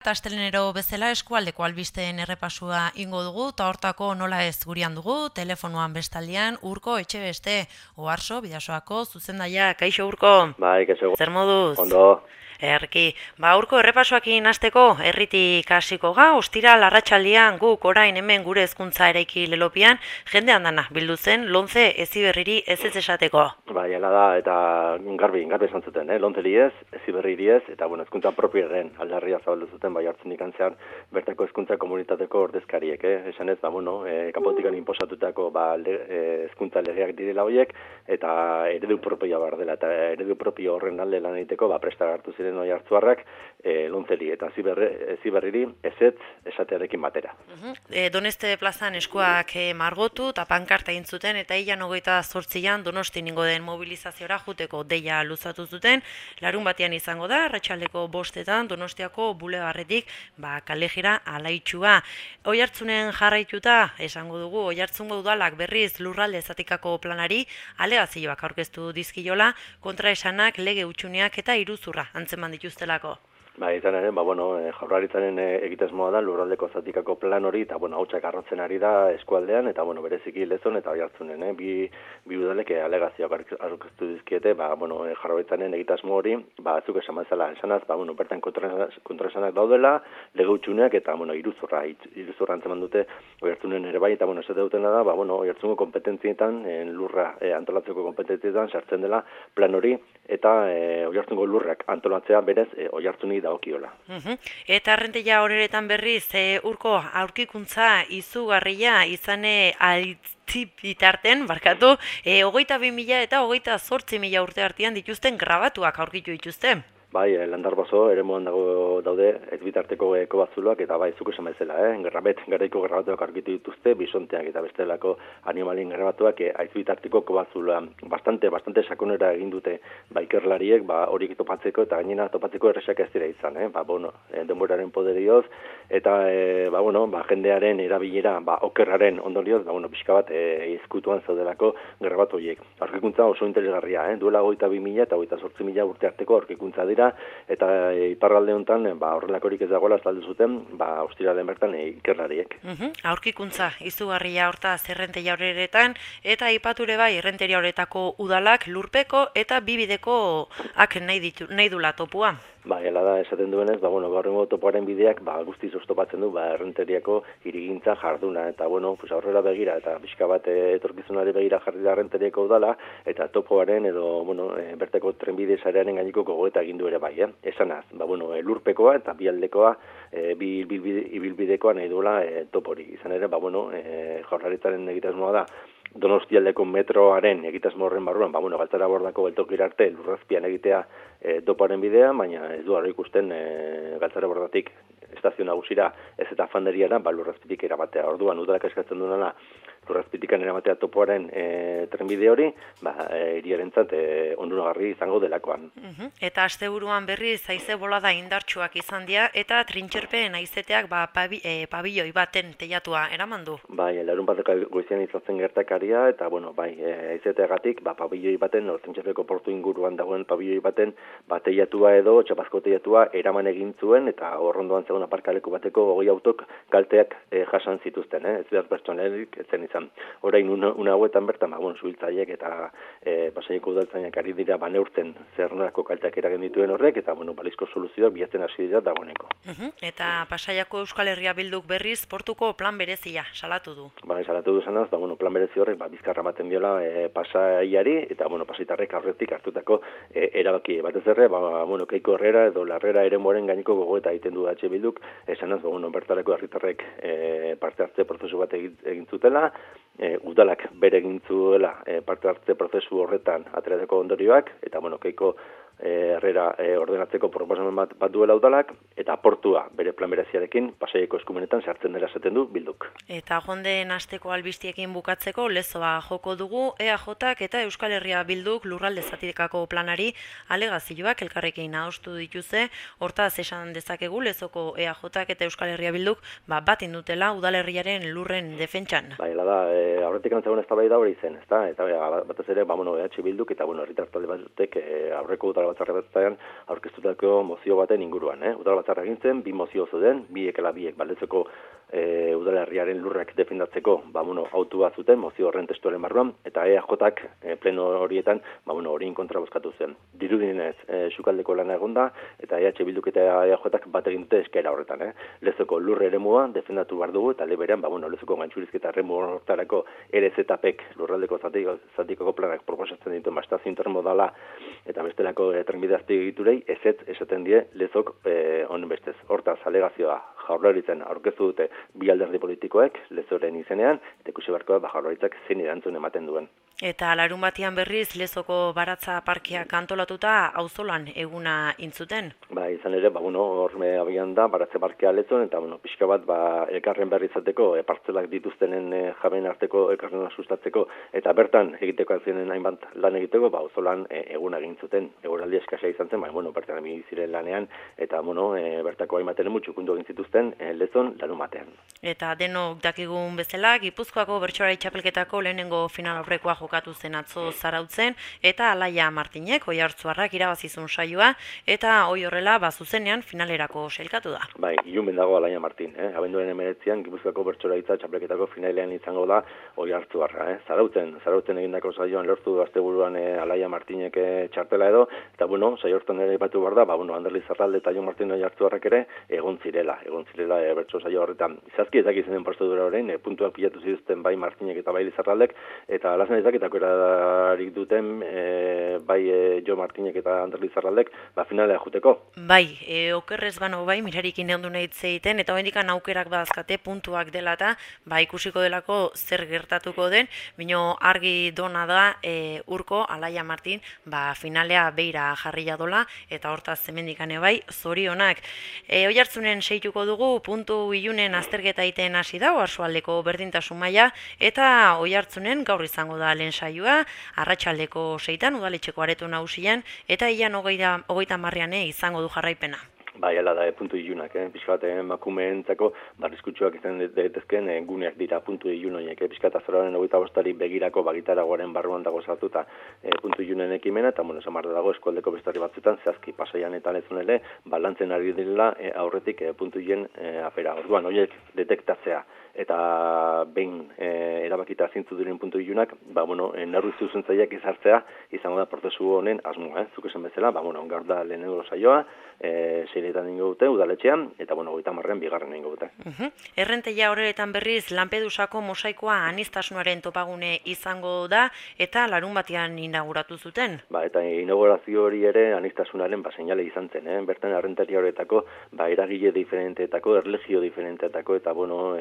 Astelenero bezala eskualdeko albisteen errepasua ingo dugu, eta hortako nola ez gurean dugu, telefonoan bestaldean, Urko Etxebeste, Oarso, Bidasoako, zuzendaia, kaixo Urko? Bai, kaixo. Zer moduz? Ondo. Erki, Urko errepasoakin hasteko herritik hasiko ga, ostiral arratsaldean guk orain hemen gure hezkuntza eraiki lelopian, jende handana bildu zen Lonce Heziberriri ez esateko. Bai, hala da, eta garbi esan zuten, Lontzeri ez, Heziberriri ez, eta hezkuntza propioaren aldarria zabaldu zuten bai hartzen ikantzean bertako hezkuntza komunitateko ordezkariek, esan ez, kanpotikan inposatutako hezkuntza legeak direla horiek, eta eredu propioa behar dela, eta eredu propio horren alde lan egiteko presta hartu ziren oi hartzuarrak Lontzeri eta Heziberriri ezetz esatearekin batera. Doneste plazan eskuak margotu eta pankarta egin zuten, eta ilan 28an Donosti ningo den mobilizaziora juteko deia luzatu zuten. Larun batean izango da, arratsaldeko 5etan Donostiako bulebarretik kalejira alaitxua. Oihartzunen jarraituta, esango dugu, Oihartzungo udalak berriz lurralde zatikako planari alegazioak aurkeztu dizkiola, kontraesanak, lege hutsuneak eta iruzurra antzeman dituztelako. Izan ere, Jaurlaritzaren egitasmoa da lurraldeko zatikako plan hori, eta hautsak arrotzen ari da eskualdean, eta bereziki Lezon eta Oihartzunen, bi udalek alegazioak aurkeztu dizkiete, Jaurlaritzaren egitasmo hori, zuk esan bezala, esanaz, bertan kontraesanak daudela, lege hutsuneak eta iruzurra antzeman dute Oihartzunen ere bai, eta esate dutena da, Oihartzungo kompetentzietan, lurra antolatzeko kompetentzietan sartzen dela plan hori, eta Oihartzungo lurrak antolatzea berez Oihartzuni okiola. Eta arrenteia horeretan berriz, Urko, aurkikuntza izugarria izane bitarten, 22.000 eta 28.000 urte artean dituzten grabatuak aurkitu dituzte. Bai, Landarbaso eremuan daude ez bitarteko kobatzuloak, eta zuk esan bezala, garaiko grabatuak aurkitu dituzte, bisonteak eta bestelako animalien grabatuak ez bitarteko kobatzuloa. Bastante sakonera egin dute ikerlariek horiek topatzeko, eta gainera topatzeko erresak ez dira izan, denboraren poderioz, eta jendearen erabilera okerraren ondorioz, pixka bat ezkutuan zaudelako grabatu horiek. Aurkikuntza oso interesgarria, duela 22.000 eta 28.000 urte arteko aurkikuntza dira, eta iparralde honetan horrelakorik ez dagoela azaldu zuten ostiralean bertan ikerlariek. Aurkikuntza izugarria hortaz errenteria horeretan, eta aipature bai errenteria horetako udalak lurpeko eta bibidekoak nahi dula topua. Hala da, esaten duenez, gaur egungo topoaren bideak guztiz oztopatzen du errenteriako hirigintza jarduna, eta aurrera begira, eta pixka bat etorkizunari begira jarri da errenteriako udala, eta topoaren edo bertako trenbide sarearen gaineko gogoeta egin du ere bai, esanaz, lurpekoa eta bialdekoa, bi ibilbidekoa nahi duela topori. Izan ere, Jaurlaritzaren egitasmoa da, Donostialdeko metroaren egitasmo horren barruan, Galtzara bordako geltokira arte lurrazpian egitea topoaren bidea, baina ez du ikusten Galtzara bordatik estazio nagusira ez eta fanderiara lurrazpitik eramatea. Orduan, udalak eskatzen duena lurrazpitikan eramatea topoaren trenbide hori, hiriarentzat onuragarri izango delakoan. Eta asteburuan berriz haize bolada indartsuak izan dira, eta trintxerpeen haizeteak pabilloi baten teilatua eraman du. Larun bateko goizean izatzen gertakaria, eta haizeteagatik pabilloi baten, trintxerpeko portu inguruan dagoen pabilloi baten teilatua edo txapazko teilatua eraman egin zuen, eta horrondoan zegoen aparkaleku bateko 20 autok kalteak jasan zituzten, ez behar pertsonelik etzen izan. Orain una hauetan bertan, suhiltzaileek eta Pasaiako udaltzainak ari dira neurtzen zer nolako kalteak eragin dituen horrek, eta balizko soluzioak bilatzen hasi dira dagoeneko. Eta Pasaiako Euskal Herria Bilduk berriz portuko plan berezia salatu du. Salatu du zanaz, plan berezi horrek bizkarra ematen diola Pasaiari, eta pasaitarrek aurretik hartutako erabaki batez ere, Keiko Herrera edo Larrera eremuaren gaineko gogoeta egiten du H Bilduk, esanaz, bertarako herritarrek parte hartze prozesu bat egin zutela, udalak bere egin zuela parte hartze prozesu horretan aterateko ondorioak, eta Keiko Herrera ordenatzeko proposamen bat duela udalak, eta portua bere plan bereziarekin Pasaiako eskumenetan sartzen dela esaten du Bilduk. Eta jonden asteko albistiekin bukatzeko lezoa joko dugu, EAJak eta Euskal Herria Bilduk lurralde zatikako planari alegazioak elkarrekin adostu dituzte. Hortaz esan dezakegu lezoko EAJak eta Euskal Herria Bilduk bat indutela udalerriaren lurren defentsan. Hala da, aurretik antzegoen eztabaida hori zen, ezta? Eta batez ere, EH Bilduk eta herritar talde batek aurreko udal udalbatzarrean aurkeztutako mozio baten inguruan. Udalbatzarra egin zen, 2 mozio zeuden, biek Baldetzeko udalerriaren lurrak defendatzeko, autu bat zuten, mozio horren testuaren barruan, eta EAJak pleno horietan, horien kontra bozkatu zen. Dirudinez, sukaldeko lana egonda, eta EH Bilduk eta EAJak bat egin dute eskaera horretan. Lezoko lurre eremua defendatu behar dugu, eta leberean, lezoko gantxurizketa eremu horretarako RZPek lurraldeko zatikoko planak proposatzen ditu estazio intermodala, eta bestelako trenbide azpiegiturei esaten die lezok honen bestez. Hortaz, alegazioa Jaurlaritzan aurkeztu dute bi alderdi politikoek lezoren izenean, eta ikusi beharko da Jaurlaritzak zein erantzun ematen duen. Eta larun batean berriz Lezoko baratza parkeak antolatuta auzolan eguna intzuten? Izan ere, horme abian da, baratze parkea Lezon, eta pixka bat elkarren berri izateko, partzelak dituztenen jaben arteko elkarrena sustatzeko, eta bertan egiteko azinen hainbat lan egiteko, auzolan eguna egin zuten. Eguraldi eskasa izan zen, bertan ziren lanean, eta bertako hainbaten mutxukundu egin zituzten Lezon larun batean. Eta denok dakigun bezala, Gipuzkoako bertsolari txapelketako lehenengo final aurrekoa jokatu zen atzo Zarautzen, eta Alaia Martinek Oiartzuarrak irabazizun saioa, eta hoi horrela zuzenean finalerako sailkatu da. Ilumen dago Alaia Martin. Abenduaren 19an Gipuzkoako bertsolaritza txapelketako finalean izango da Oiartzuarra. Zarautzen egindako saioan lortu du asteburuan Alaia Martinek txartela edo, eta saio hortan ere batu behar da, Anderli Zarralde eta Jon Martin Oiartzuarrak ere egon zirela bertso saio horretan. Zazki ezak izenen prozedura horrein, puntuak pilatu zituzten bai Martinek eta bai Lizarraldek, eta alazen ezaketako erarik duten bai Jo Martinek eta Ander Lizarraldek finalea juteko. Okerrez bano mirarikin egon du nahi egiten, eta hoendikan aukerak badazkate puntuak dela eta ikusiko delako zer gertatuko den, bino argi dona da urko Alaia Martin finalea beira jarria dola, eta hortaz zemendikane zorionak. Oiartzunen seituko dugu, puntu ilunen azterketa egiten hasi da, Oarsoaldeko berdintasun maila, eta Oiartzunen gaur izango da lehen saioa, arratsaldeko 6an udaletxeko areto nagusian, eta ilan 30 izango du jarraipena. Hala da, puntu ilunak, pixkat emakumeentzako barrizkutsuak izan daitezken guneak dira puntu ilunoiek, pixkat azoraren 25 begirako bagitaragoaren barruan dago sartuta puntu ilunen ekimena, eta esamar dago eskualdeko bestari batzutan, zehazki Pasaian eta Lezon ere, balantzen ari direla aurretik puntu ilen afera. Orduan, horiek detektatzea eta behin erabakita zintzu diren puntu ilunak, nerru zuzentzaileak izartzea izango da prozesu honen asmoa, zuk esan bezala, gaur da lehenengo saioa, seiretan ingo dute, udaletxean, eta 30an bigarren ingo dute. Errenteia horretan berriz, Lampedusako mosaikoa aniztasunaren topagune izango da, eta larun batean inauguratu zuten. Eta inaugurazio hori ere aniztasunaren seinale izan zen, bertan errenteria horretako, eragile diferenteetako, erlegio diferenteetako, eta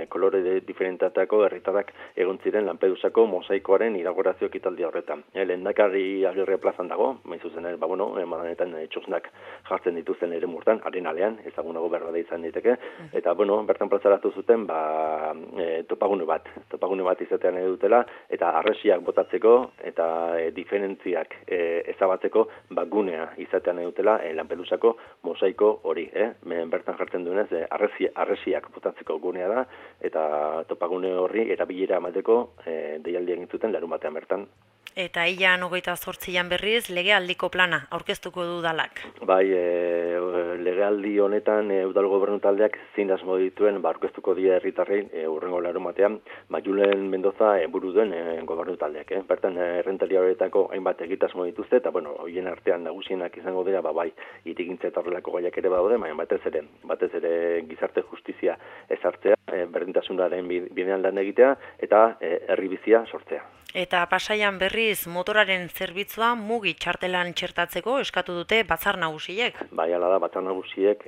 kolore diferenteetako herritarrak egon ziren Lampedusako mosaikoaren inaugurazio ekitaldi horretan. Lehendakari Agirre plazan dago, zuzen ere, emanetan txosnak jartzen dituzten ere murtan, arenalean, ezagunago berbada izan diteke, eta bertan plazaratu zuten topagune bat izatean dutela, eta arresiak botatzeko eta diferentziak ezabatzeko gunea izatean dutela Lampedusako mosaiko hori. Bertan jartzen duenez, arresiak botatzeko gunea da, eta topagune horri erabilera emateko deialdi egin zuten larun batean bertan. Eta ilan 28an berriz, legealdiko plana aurkeztuko du udalak. Legealdi honetan udal gobernu taldeak zein asmo dituen aurkeztuko die herritarrei hurrengo larun batean, Julen Mendoza buru duen gobernu taldeak. Bertan errentaria horietako hainbat egitasmo dituzte, eta horien artean nagusienak izango dira, hirigintza eta horrelako gaiak ere badaude, baina batez ere gizarte justizia ezartzea, berdintasunaren bidean lan egitea, eta herri bizia sortzea. Eta Pasaian berriz motoraren zerbitzua mugi txartelan txertatzeko eskatu dute batzar nagusiek. Hala da, batzar nagusiek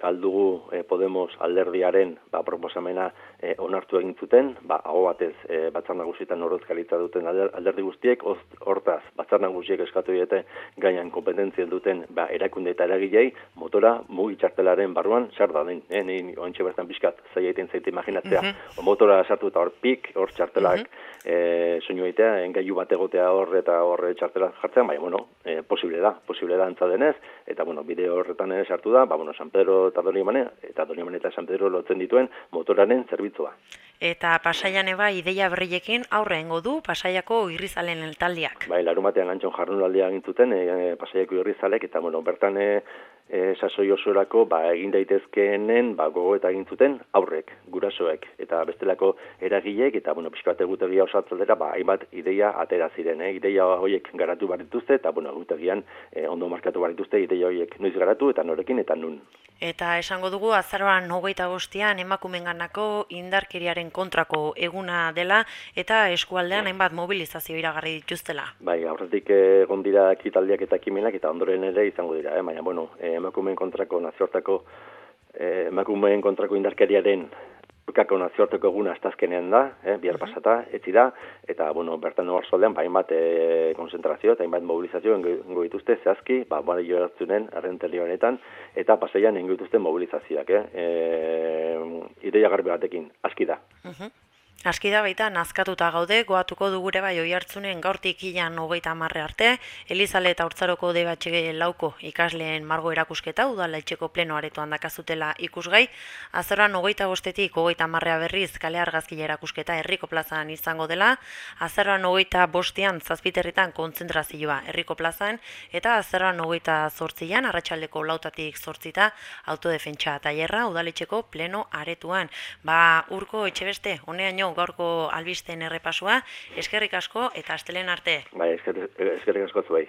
aldugu Podemos alderdiaren proposamena onartu egin zuten, aho batez batzar nagusietan ordezkaritza duten alderdi guztiek, hortaz batzar nagusiek eskatu diete gaian kompetentzia duten erakunde eta eragilei motora mugi txartelaren barruan zer da den. Ontxe bertan pixkat zaila egiten zaite imaginatzea. Motora sartu eta hor txartelak soinu egitea, engailu bat egotea hor eta hor txartela jartzea, baina, bueno, posible da antza denez, eta, bueno, bideo horretan sartu da, San Pedro eta Donibane, eta San Pedro lotzen dituen motoraren zerbitzua. Eta Pasaian eba ideia berriekin aurre engo du Pasaiako irrizalen taldeak. Bai, larumatean antxon jardunaldia egin zuten Pasaiako irrizalek, eta, bueno, bertan sasoi osorako egin daitezkeenen gogoeta egin zuten aurrek, gurasoek, eta bestelako eragileek, eta, bueno, pixka bat egutegia osatzaldera, hainbat ideia atera ziren, ideia horiek garatu barituzte, eta, bueno, egutegian ondo markatu barituzte ideia horiek noiz garatu, eta norekin, eta nun. Eta esango dugu azaroan 25ean emakumenganako indarkeriaren kontrako eguna dela eta eskualdean hainbat mobilizazio iragarri dituztela. Bai, aurretik egon dira ekitaldiak eta ekimenak eta ondoren ere izango dira, baina bueno, emakumeen kontrako nazioarteko emakumeen kontrako indarkeriaren aurkako nazioarteko eguna astazkenean da, bihar pasata, etzi da, eta bueno, bertan oarsoaldean hainbat konzentrazio eta hainbat mobilizazio engo dituzte zehazki, Boadillo Ertzunen errenteri honetan, eta Pasaian engo dituzte mobilizazioak, ideia garbi batekin, aski da. Aski da baita nazkatuta gaude, goatuko dugure bai Oiartzunen gaurtik ilan 30 arte, Elizale eta Hortzaroko debatxe lauko ikasleen margo erakusketa, udala etxeko pleno aretoan dakazutela ikusgai, azaroan 25etik 30 berriz kale argazkila erakusketa herriko plazan izango dela, azaroan 25ean zazpiterritan kontzentrazioa herriko plazan, eta azaroan 28ean arratsaldeko 4 zortzita autodefentsa tailerra udaletxeko pleno aretuan. Urko Etxebeste, honeaino gaurko albisten errepasua, eskerrik asko eta astelen arte. Bai, eskerrik asko zuei.